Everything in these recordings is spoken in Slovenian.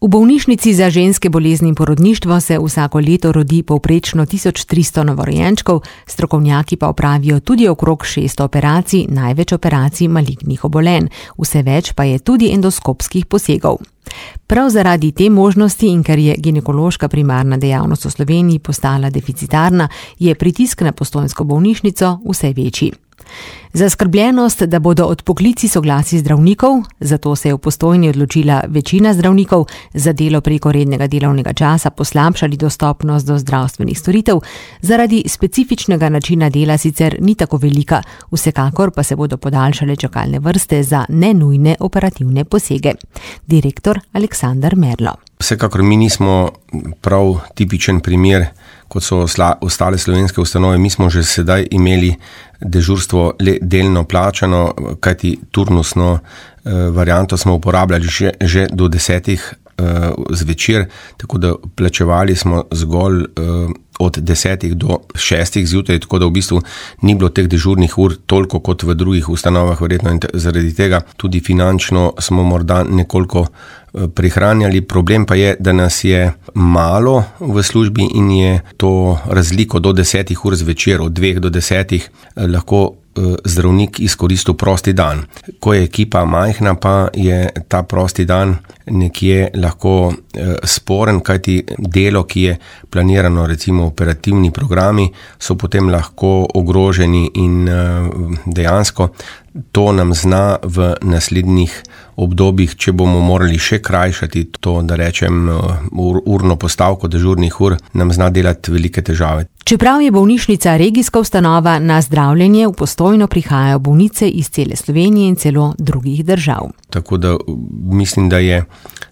V bolnišnici za ženske bolezni in porodništvo se vsako leto rodi povprečno 1300 novorojenčkov, strokovnjaki pa opravijo tudi okrog 600 operacij, največ operacij malignih obolenj. Vse več pa je tudi endoskopskih posegov. Prav zaradi te možnosti in ker je ginekološka primarna dejavnost v Sloveniji postala deficitarna, je pritisk na postojnsko bolnišnico vse večji. Zaskrbljenost, da bodo odpoklici soglasij zdravnikov, zato se je v Postojni odločila večina zdravnikov, za delo preko rednega delovnega časa poslabšali dostopnost do zdravstvenih storitev, zaradi specifičnega načina dela sicer ni tako velika, vsekakor pa se bodo podaljšale čakalne vrste za nenujne operativne posege. Direktor Aleksander Merlo. Vsekakor mi nismo prav tipičen primer, kot so ostale slovenske ustanove. Mi smo že sedaj imeli dežurstvo delno plačano, kajti turnusno varianto smo uporabljali že do 10 zvečer, tako da plačevali smo zgolj od 10 do 6 zjutraj, tako da v bistvu ni bilo teh dežurnih ur toliko kot v drugih ustanovah, verjetno in zaradi tega tudi finančno smo morda nekoliko prihranjali. Problem pa je, da nas je malo v službi in je to razliko do 10 ur zvečer, od 2 do 10 lahko zdravnik izkoristil prosti dan. Ko je ekipa majhna, pa je ta prosti dan nekje lahko sporen, kajti delo, ki je planirano, recimo operativni programi, so potem lahko ogroženi in dejansko to nam zna v naslednjih obdobjih, če bomo morali še krajšati to, da rečem, urno postavko dežurnih ur, nam zna delati velike težave. Čeprav je bolnišnica regijska ustanova, na zdravljenje v Postojno prihajajo bolnice iz cele Slovenije in celo drugih držav. Tako da mislim,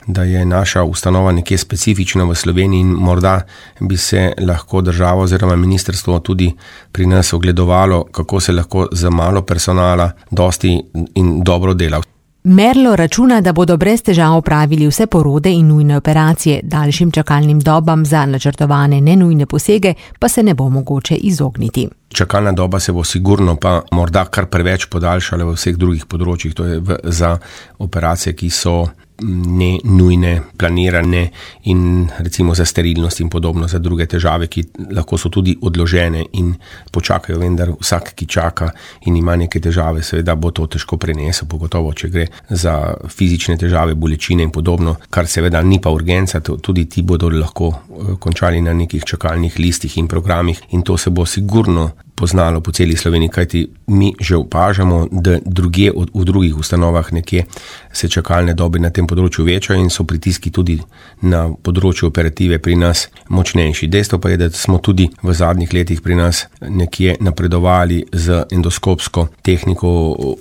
da je naša ustanova nekje specifična v Sloveniji in morda bi se lahko država oziroma ministrstvo tudi pri nas ogledovalo, kako se lahko z malo personala dosti in dobro dela. Merlo računa, da bodo brez težav opravili vse porode in nujne operacije, daljšim čakalnim dobam za načrtovane nenujne posege pa se ne bo mogoče izogniti. Čakalna doba se bo sigurno pa morda kar preveč podaljšala v vseh drugih področjih, to je za operacije, ki so ne nujne, planirane in recimo za sterilnost in podobno, za druge težave, ki lahko so tudi odložene in počakajo, vendar vsak, ki čaka in ima neke težave, seveda bo to težko prenesel, pogotovo, če gre za fizične težave, bolečine in podobno, kar seveda ni pa urgenca, tudi ti bodo lahko končali na nekih čakalnih listih in programih in to se bo sigurno poznalo po celi Sloveniji, kajti mi že opažamo, da drugje v drugih ustanovah nekje se čakalne dobe na tem področju večajo in so pritiski tudi na področju operative pri nas močnejši. Dejstvo pa je, da smo tudi v zadnjih letih pri nas nekje napredovali z endoskopsko tehniko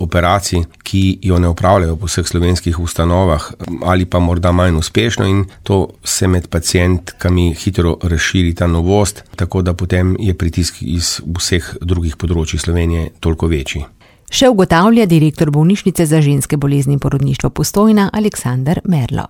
operacij, ki jo ne opravljajo po vseh slovenskih ustanovah ali pa morda manj uspešno in to se med pacientkami hitro razširi ta novost, tako da potem je pritisk iz vseh drugih področji Slovenije toliko večji. Še ugotavlja direktor bolnišnice za ženske bolezni in porodništvo Postojna Aleksander Merlo.